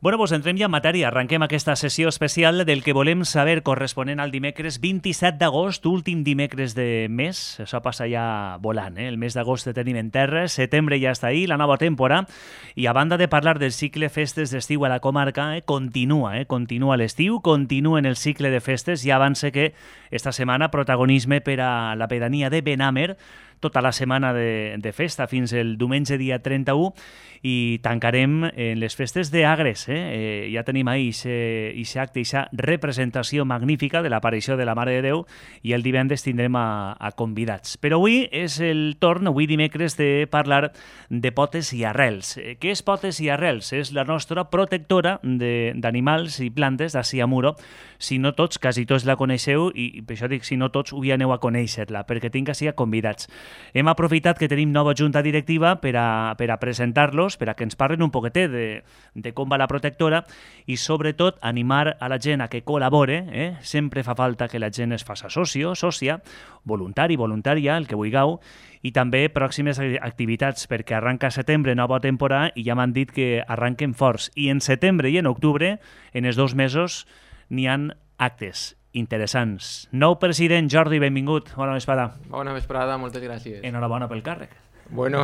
Bueno, doncs entrem ja en matèria. Arrenquem aquesta sessió especial del que volem saber corresponent al dimecres 27 d'agost, últim dimecres de mes. Això passa ja volant, eh? El mes d'agost el tenim en terra, setembre ja està ahí, la nova temporada, i a banda de parlar del cicle festes d'estiu a la comarca, continua l'estiu, continua en el cicle de festes, ja avança que esta setmana protagonisme per a la pedania de Benàmer, tota la setmana de festa fins el diumenge dia 31, i tancarem en les festes d'Agres. Ja tenim ahí aquest acte, aquesta representació magnífica de l'aparició de la Mare de Déu, i el divendres tindrem a convidats. Però avui és el torn, avui dimecres, de parlar de potes i arrels. Què és potes i arrels? És la nostra protectora d'animals i plantes d'ací a Muro. Si no tots, quasi tots la coneixeu, i per això dic si no tots, avui aneu a conèixer-la, perquè tinc ací a convidats. Hem aprofitat que tenim nova junta directiva per a presentar-los, per a que ens parlen un poquetet de com va la protectora, i sobretot animar a la gent a que col·labore. Sempre fa falta que la gent es faça sòcia, voluntari, voluntària, el que vulgueu, i també pròximes activitats, perquè arranca setembre, nova temporada, i ja m'han dit que arranquen forts. I en setembre i en octubre, en els 2 mesos, n'hi han actes interessants. Nou president, Jordi, benvingut. Bona vesprada. Bona vesprada, moltes gràcies. Enhorabona pel càrrec. Bueno,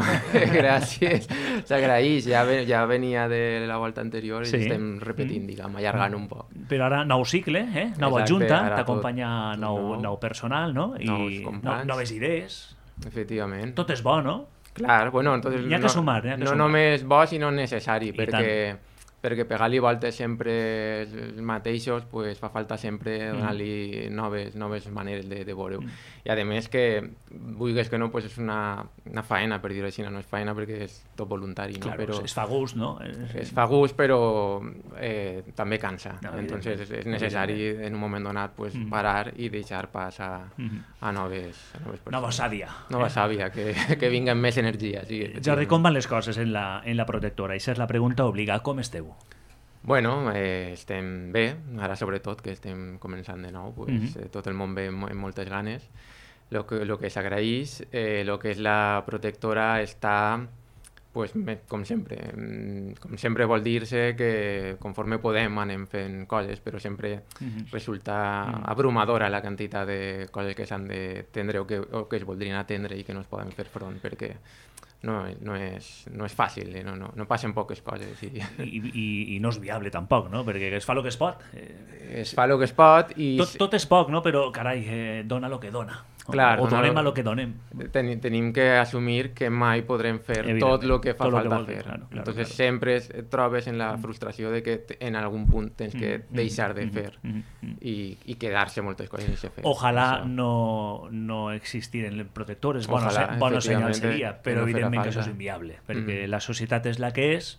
gràcies. S'agraeix. Ja venia de la volta anterior i estem repetint, diguem, allargant un poc. Però ara nou cicle, nova junta, t'acompanya nou personal, no? Nous companys. Noves idees. Efectivament. Tot és bo, no? Clar, bueno, entonces N'hi ha que sumar, no només bo, sinó necessari, perquè pegar-li voltes sempre els mateixos, pues, fa falta sempre donar-li noves maneres de veure-ho. I a més que, vulguis que no, pues és una faena, per dir-ho així, no és faena perquè és tot voluntari. Claro, no? Però es fa gust, no? Es fa gust, però també cansa. Entonces és necessari en un moment donat pues, parar i deixar pas a noves persones. Nova sàvia. Nova sàvia, que vinguen més energia. Sí, Jordi, com van les coses en la protectora? Això és la pregunta obligada. Com esteu? Bueno, estem bé, ara sobretot que estem començant de nou, pues, tot el món ve amb moltes ganes. Lo que s'agraeix, lo que és la protectora està, pues, com sempre vol dir-se que conforme podem anem fent coses, però sempre resulta abrumadora la quantitat de coses que s'han d'atendre o que es voldrien atendre i que no es poden fer front, perquè no és fàcil, no passen poques coses. I no és viable tampoc, no? Perquè es fa el que es pot. Es fa el que es pot i... Tot és poc, no? Però, carai, dona el que dona. Clar, o donem el que donem. Tenim que assumir que mai podrem fer tot el que fa falta fer. Entonces sempre et trobes en la frustració de que en algun punt tens que deixar de fer i quedar-se moltes coses sense fer. Ojalà no existiren protectores, bon senyal seria, però evidentment que això és inviable, perquè la societat és la que és,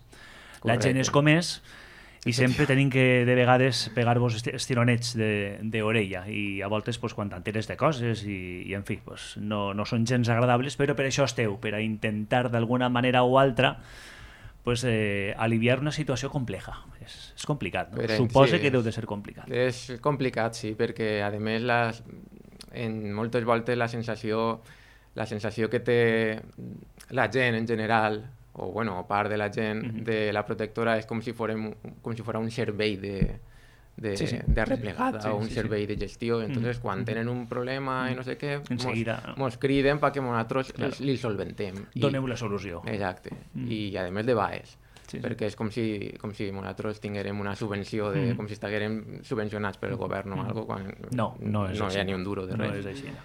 la gent és com és, i sempre tenim que, de vegades, pegar-vos estironets d'orella, i a voltes, pues, quan t'enteres de coses, i en fi, pues, no són gens agradables, però per això esteu, per a intentar d'alguna manera o altra pues, aliviar una situació compleja. És complicat, no? Suposa que deu de ser complicat. És complicat, sí, perquè, a més, en moltes voltes la sensació que té la gent en general, o part de la gent de la protectora, és com si fos un servei de replegada o un servei de gestió. Entonces, quan tenen un problema i no sé què, mos criden perquè nosaltres li solventem. Doneu la solució. Exacte. I, a més, de baix. Perquè és com si nosaltres tinguérem una subvenció, com si estiguérem subvencionats pel govern o alguna cosa, quan no hi ha ni un duro de res. No és així.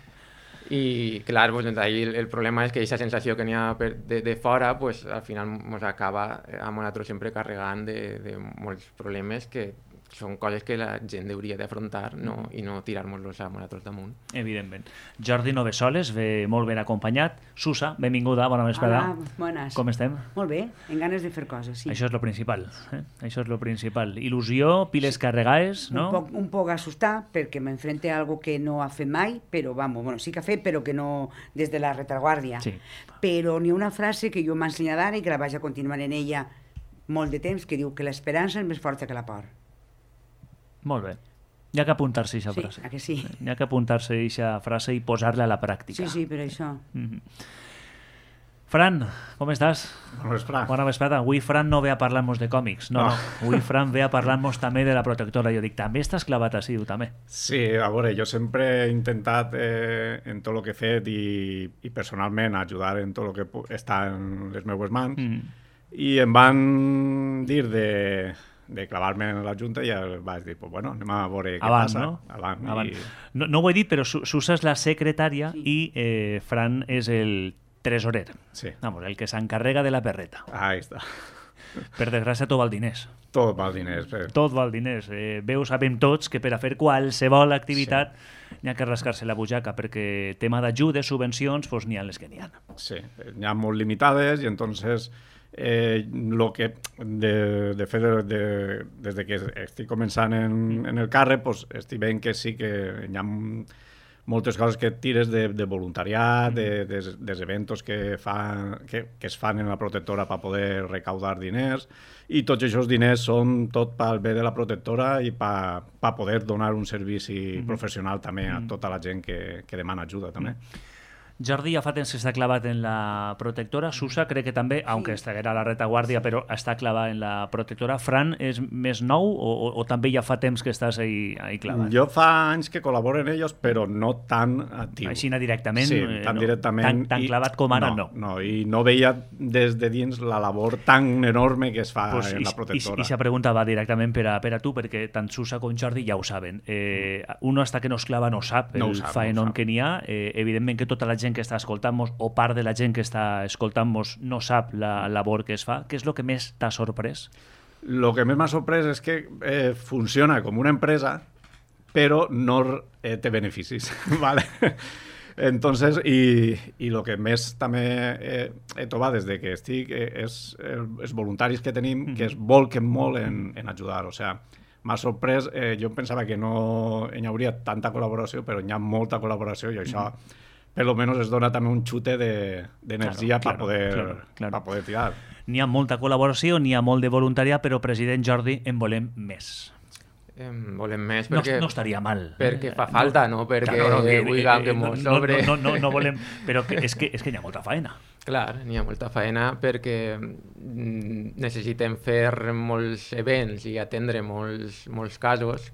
I clar, pues, el problema és que aquesta sensació que n'hi ha de fora, pues, al final ens acaba a nosaltres sempre carregant de molts problemes que són coses que la gent hauria d'afrontar i no tirar-nos-los a nosaltres damunt. Evidentment. Jordi Novesoles ve molt ben acompanyat. Susa, benvinguda, bona vesprada. Hola, bones. Com estem? Molt bé, en ganes de fer coses, sí. Això és lo principal. Això és lo principal. Il·lusió, piles carregades, no? Un poc assustar, perquè m'enfrente a algo que no ha fet mai, però, sí que ha fet, però que no des de la retaguardia. Sí. Però n'hi ha una frase que jo m'he ensenyat ara i que la vaig a continuar en ella molt de temps, que diu que l'esperança és més forta que la por. Molt bé. Hi ha que apuntar-se a aquesta frase. Sí, que sí. Hi ha que apuntar-se a aquesta frase i posar-la a la pràctica. Sí, per això. Fran, com estàs? Bona vesprada. Bona vesprada. Avui Fran no ve a parlar-nos de còmics. No. Avui Fran ve a parlar-nos també de la protectora. Jo dic, també estàs clavat així, tu també. Sí, a veure, jo sempre he intentat en tot el que he fet i personalment ajudar en tot el que està en les meues mans i em van dir de clavar-me en la Junta i ja vaig dir, pues bueno, anem a veure què Avant, passa. No? Avant. No ho he dit, però Susa és la secretària i Fran és el tresorer. Sí. Vamos, el que s'encarrega de la perreta. Ahí està. Per desgràcia, tot val diners. Tot val diners. Tot val diners. Sabem tots que per a fer qualsevol activitat n'hi ha que rascar-se la butxaca, perquè tema d'ajudes, subvencions, doncs n'hi ha les que n'hi ha. Sí, n'hi ha molt limitades i entonces lo que de fet des de que estic començant en el càrrec pues, estic veient que sí que hi ha moltes coses que tires de voluntariat, dels eventos que es fan en la protectora per poder recaudar diners i tots aquests diners són tot pel bé de la protectora i per poder donar un servici professional també a tota la gent que demana ajuda també. Jordi ja fa temps que està clavat en la protectora. Susa crec que també, aunque estaguera a la retaguardia, però està clavat en la protectora. Fran és més nou o també ja fa temps que estàs ahí clavat? Jo fa anys que col·laboro en ells, però no tan actiu. Així directament? Sí, tan directament. Tan clavat com ara, no. No, i no veia des de dins la labor tan enorme que es fa en la protectora. I sa pregunta va directament per a tu, perquè tant Susa com Jordi ja ho saben. Uno hasta que no es clava no sap el faenón que n'hi ha. Evidentment que tota la gent que està escoltant-nos o part de la gent que està escoltant-nos no sap la labor que es fa. Què és el que més t'ha sorprès? El que més m'ha sorprès és que funciona com una empresa però no té beneficis. Vale? Entonces, i el que més també he trobat des de que estic és els voluntaris que tenim que es volquen molt en ajudar. O sigui, m'ha sorprès, jo pensava que no hi hauria tanta col·laboració, però hi ha molta col·laboració i això per lo menos es dona també un xute d'energia per poder tirar. N'hi ha molta col·laboració, n'hi ha molt de voluntariat, però, president Jordi, en volem més. Volem més perquè... No estaria mal. Perquè fa falta, no? Perquè vulguem que mos sobre... No volem... Però és que n'hi ha molta feina. Clar, n'hi ha molta feina perquè necessitem fer molts events i atendre molts casos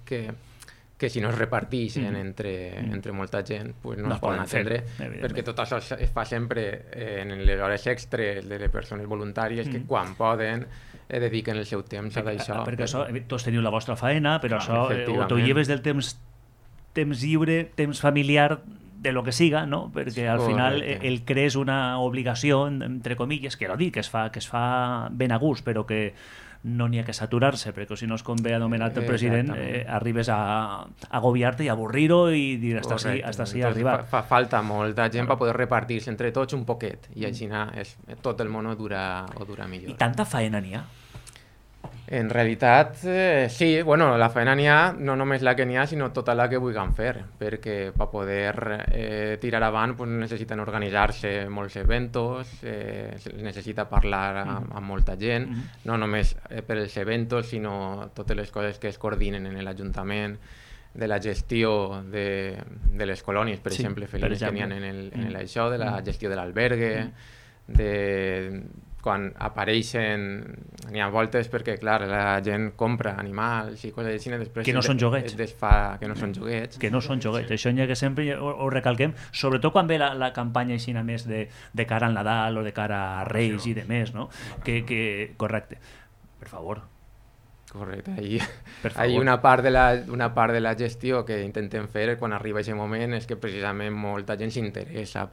que si no es reparteixen entre molta gent pues no es poden atendre, perquè tot això es fa sempre en les hores extres de les persones voluntàries que quan poden dediquen el seu temps a això. Perquè això, tots teniu la vostra feina, però això t'ho lleves del temps lliure, temps familiar, de lo que siga, no? Perquè al final el crees una obligació, entre comilles, que no dic, que es fa ben a gust, però que no n'hi ha que saturar-se, perquè si no és com ve anomenat el president, arribes a agobiar-te i avorrir-ho i dir hasta així arribar. Fa falta molta gent per poder repartir-se entre tots un poquet i així tot el món ho dura millor. I tanta feina n'hi ha? En realitat, sí, bueno, la feina n'hi ha, no només la que n'hi ha, sinó tota la que vulguem fer, perquè per poder tirar avant pues, necessiten organitzar-se molts eventos, necessita parlar amb molta gent, no només per els eventos, sinó totes les coses que es coordinen en l'Ajuntament, de la gestió de les colònies, per exemple, felines que n'hi ha en això, de la gestió de l'albergue, quan apareixen, n'hi ha voltes perquè, clar, la gent compra animals i coses així, després que no són joguets. Que no són joguets. Que no són joguets. Això n'hi ha que sempre ho recalquem, sobretot quan ve la campanya així més de cara al Nadal o de cara a Reis i de més, no? Que correcte. Per favor. Correcte. Ahí una part de la gestió que intentem fer quan arriba aquest moment és que precisament molta gent s'interessa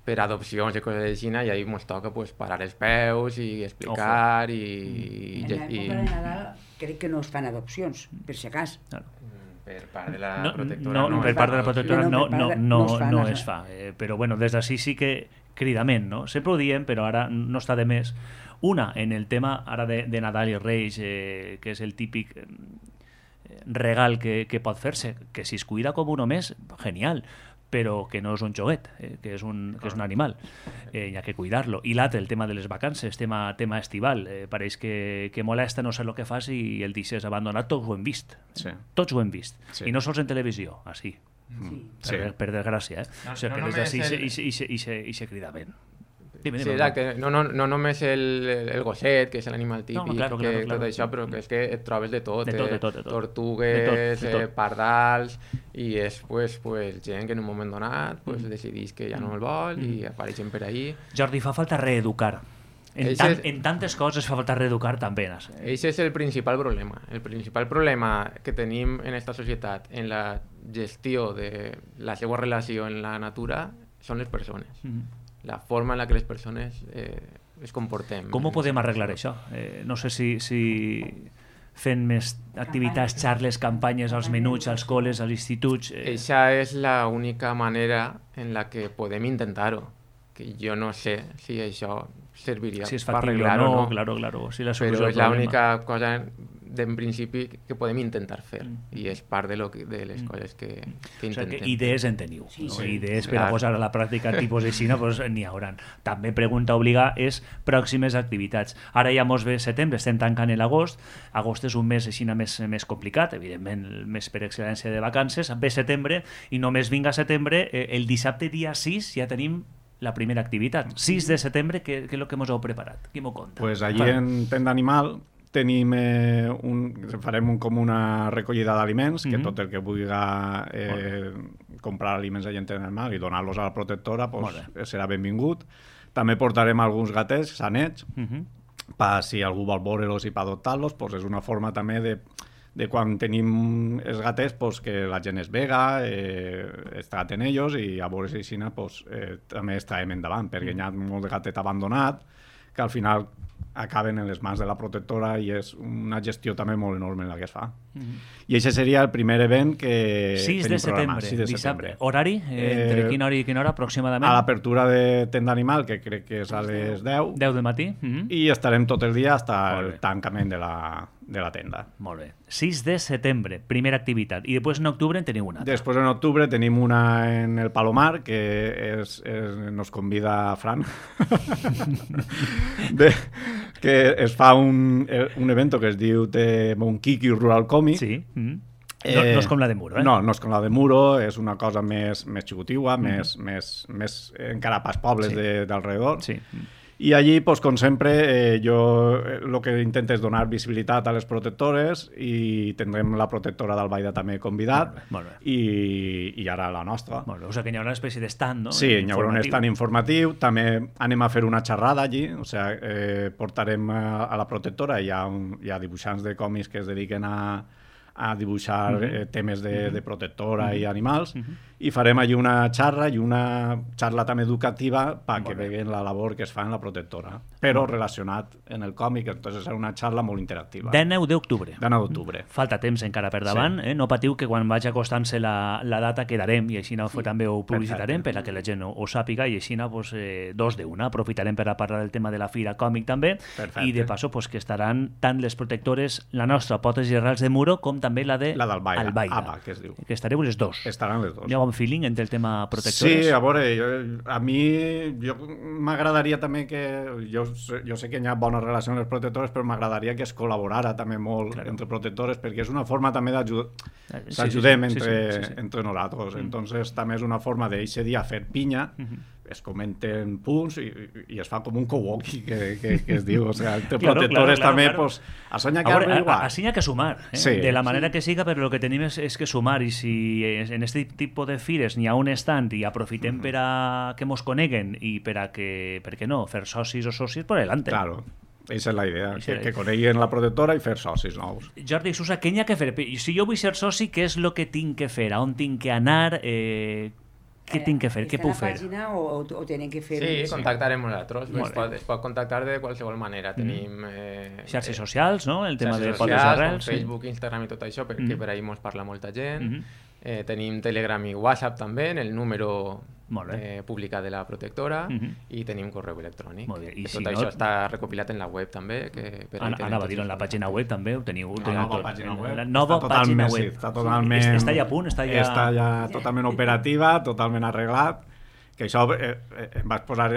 per adopcions i coses així, i ahí ens toca pues, parar els peus i explicar en l'època de Nadal crec que no es fan adopcions, per si acas. Per part de la protectora per part de la protectora no es fa. Però bueno, des d'ací sí que cridament, no? Sempre ho diem, però ara no està de més. Una, en el tema ara de Nadal i Reis, que és el típic regal que pot fer-se, que si es cuida com uno més, genial, però que no és un joguet, que és un animal. Hi ha que cuidar-lo. I l'altre, el tema de les vacances, tema estival. Pareix que molesta no sé el que fas i el deixes abandonat. Tots ho hem vist. Sí. Tots ho hem vist. Sí. I no sols en televisió, així. Sí. Per desgràcia. O sigui, que des d'ací i se crida ben. Sí, exacte. No només el gosset, que és l'animal típic, tot això, però que és que et trobes de tot. Tortugues, pardals, i és pues, gent que en un moment donat decidís que ja no el vol i apareixen per ahí. Jordi, fa falta reeducar. En tantes coses fa falta reeducar també. Això és el principal problema. El principal problema que tenim en esta societat en la gestió de la seva relació en la natura són les persones. La forma en la que les persones es comportem. Com ho podem arreglar això? No sé si fent més activitats, xarles, campanyes als menuts, als col·les, als instituts... Eixa és l'única manera en la que podem intentar-ho. Que jo no sé si això serviria per arreglar-ho o no. Claro. Si la però és l'única cosa en principi que podem intentar fer i és part de les coses que intentem. O sigui, idees en teniu. Idees per a posar a la pràctica tipus així, n'hi hauran. També pregunta obligada és pròximes activitats. Ara ja mos ve setembre, estem tancant l'agost. Agost és un mes així més complicat, evidentment el mes per excel·lència de vacances. Ve setembre i només vinga setembre, el dissabte dia 6 ja tenim la primera activitat. 6 de setembre, què és el que ens heu preparat? Qui m'ho conta? Pues allí en Tenda Animal tenim farem com una recollida d'aliments, que tot el que vulgui comprar aliments allà en Tenda Animal i donar-los a la protectora serà benvingut. També portarem alguns gatets sanets, si algú vol veure-los i per adoptar-los, és una forma també de quan tenim els gatets que la gent es vega, es traten ells i a veure si també es traiem endavant, perquè hi ha molt de gatet abandonat que al final acaben en les mans de la protectora i és una gestió també molt enorme la que es fa. I això seria el primer event que 6 de setembre, dissabte. Horari? Entre quina hora i quina hora aproximadament? A l'apertura de Tenda Animal, que crec que és a les 10. 10 del matí. I estarem tot el dia fins al tancament de la tenda. Molt bé. 6 de setembre, primera activitat. I després en octubre en teniu una altra. Després en octubre tenim una en el Palomar, que nos convida Fran, que es fa un evento que es diu de Monkiki Rural Comic. Sí. No és com la de Muro, No és com la de Muro, és una cosa més xicotigua, més encara pas pobles d'alrededor. Sí. I allí, com sempre, jo el que intento és donar visibilitat a les protectores i tindrem la protectora d'Albaida també convidat i ara la nostra. O sigui que hi haurà una espècie d'estand, no? Sí, hi haurà un estand informatiu. També anem a fer una xerrada allí, o sigui, portarem a la protectora, hi ha dibuixants de còmics que es dediquen a dibuixar temes de protectora i animals, i farem allí una xarra i una xarra també educativa perquè veguen la labor que es fa en la protectora, però relacionat en el còmic, entonces serà una xarra molt interactiva. 19 d'octubre. 19 d'octubre. Falta temps encara per davant, no patiu que quan vagi acostant-se la data quedarem i així també ho publicitarem per a que la gent ho sàpiga i així dos d'una. Aprofitarem per a parlar del tema de la Fira Còmic també i de passo que estaran tant les protectores, la nostra Potes i Arrels de Muro, com també la d'Albaida, que es diu. Que estareu les dos. Estaran les dos. Hi ha bon feeling entre el tema protectores? Sí, a veure, a mi m'agradaria també que... Jo sé que hi ha bona relació amb les protectores, però m'agradaria que es col·laborara també molt entre protectores, perquè és una forma també d'ajudar. S'ajudem entre nosaltres. Entonces també és una forma d'eixe dia fer pinya, es comenten punts i es fa com un co-walkie que es diu, o sea, entre protectores també, pues, a soñar que algo igual. Així hi ha que sumar, de la manera que siga, però el que tenim és que sumar, i si en aquest tipus de fires n'hi ha un stand i aprofitem per a que mos coneguen i per a que, per què no, fer socis o socis por delante. Claro. Aquesta és la idea, que coneguin la protectora i fer socis nous. Jordi Susa, què n'hi ha que fer? Si jo vull ser soci, què és el que tinc que fer? A on tinc que anar? Què tinc que fer? Què puc fer? ¿Está en la página o tienen que fer? Sí, contactarem nosaltres. Es pot contactar de qualsevol manera. Tenim xarxes socials, no? El tema de Potes Arrels, Facebook, Instagram i tot això, perquè per ahí mos parla molta gent. Tenim Telegram i WhatsApp també, en el número publicat de la protectora, i tenim correu electrònic. Tot això està recopilat en la web també. Anava a dir, en la pàgina web també ho teniu. La nova pàgina web. La nova pàgina web. Està ja a punt? Està ja totalment operativa, totalment arreglat, que això em vaig posar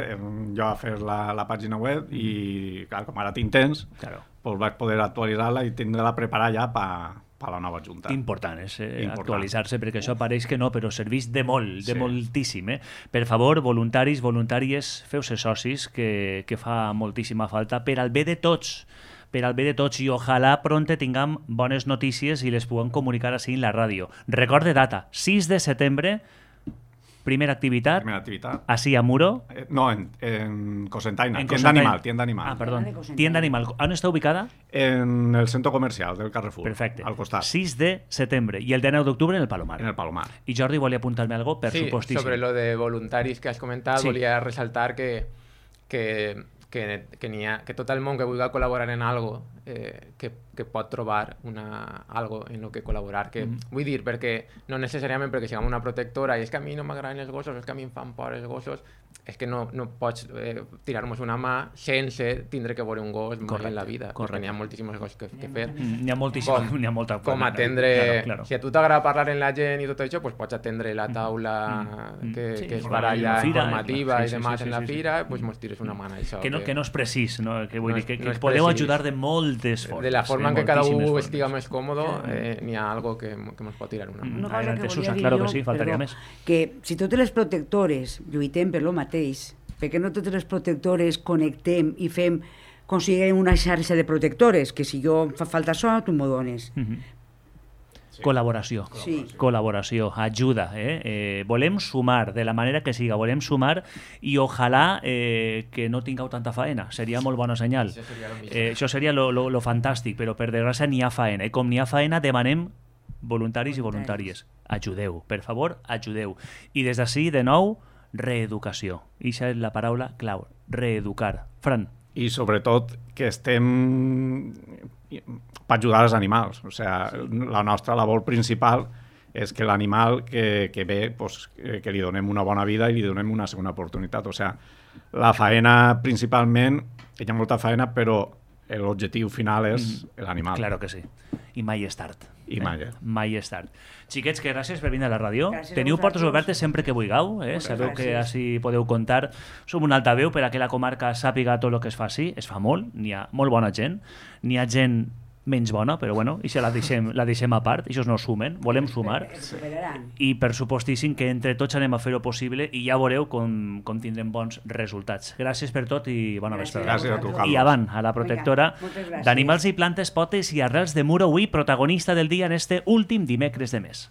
jo a fer la pàgina web i, clar, com ara tinc temps, doncs vaig poder actualitzar-la i tindre-la preparada ja per per la nova Junta. Important és actualitzar-se, perquè això pareix que no, però serveix de molt, de moltíssim. Per favor, voluntaris, voluntàries, feu-se socis, que fa moltíssima falta per al bé de tots, i ojalà pronte tinguem bones notícies i les puguem comunicar així en la ràdio. Recorde data, 6 de setembre, primera activitat, así a Muro. No, en Cosentaina, tienda animal. Ah, perdón, tienda animal. ¿On está ubicada? En el centro comercial del Carrefour. Perfecte. Al costat. 6 de setembre. I el 9 d'octubre en el Palomar. En el Palomar. I Jordi volia apuntar-me algo per supostíssim. Sobre lo de voluntaris que has comentat, volia resaltar que tot el món que vulgui col·laborar en algo que pot trobar algo en lo que col·laborar. Vull dir, perquè no necessàriament perquè siguem una protectora i és que a mi no m'agraden els gossos, és que a mi em fan por els gossos, és que no pots tirar-nos una mà sense tindre que veure un gos mai en la vida. Perquè n'hi ha moltíssims gossos que fer. N'hi ha moltíssims, n'hi ha molta... Com atendre... Si a tu t'agrada parlar amb la gent i tot això, pots atendre la taula que es baralla informativa i demás en la fira, doncs mos tires una mà a això. Que no és precís, no? Que vull dir que podeu ajudar de moltes formes. De la forma en què cada un estiga més còmode, n'hi ha algo que ens pot tirar una mà. Una cosa que volia dir claro jo, que sí, faltaria més. Que si totes les protectores lluitem per lo mateix, perquè no totes les protectores connectem i aconseguim una xarxa de protectores, que si jo fa falta això, tu m'ho dones. Col·laboració. Col·laboració, ajuda. Volem sumar, de la manera que siga, volem sumar i ojalà que no tingueu tanta faena. Seria molt bona senyal. Això seria lo fantàstic, però per desgràcia n'hi ha faena. I com n'hi ha faena, demanem voluntaris i voluntàries. Ajudeu, per favor, ajudeu. I des d'ací, de nou, reeducació. I això és la paraula clau, reeducar. Fran. I sobretot que estem per ajudar els animals. O sigui, la nostra labor principal és que l'animal que ve, pues, que li donem una bona vida i li donem una segona oportunitat. O sigui, la faena principalment, hi ha molta faena, però l'objectiu final és l'animal. Claro que sí. I mai és tard. Mai és tard. Xiquets, que gràcies per venir a la ràdio. Teniu portes obertes sempre que vulgueu. Sabeu que així podeu comptar. Som un altaveu per a que la comarca sàpiga tot el que es fa així. Es fa molt, n'hi ha molt bona gent. N'hi ha gent menys bona, però bueno, això la deixem a part, això no sumen, volem sumar, i per supostíssim que entre tots anem a fer-ho possible i ja veureu com tindrem bons resultats. Gràcies per tot i bona vesprada. Gràcies a tu, Carlos. I avant, a la protectora d'animals i plantes, potes i arrels de Muro, avui protagonista del dia en este últim dimecres de mes.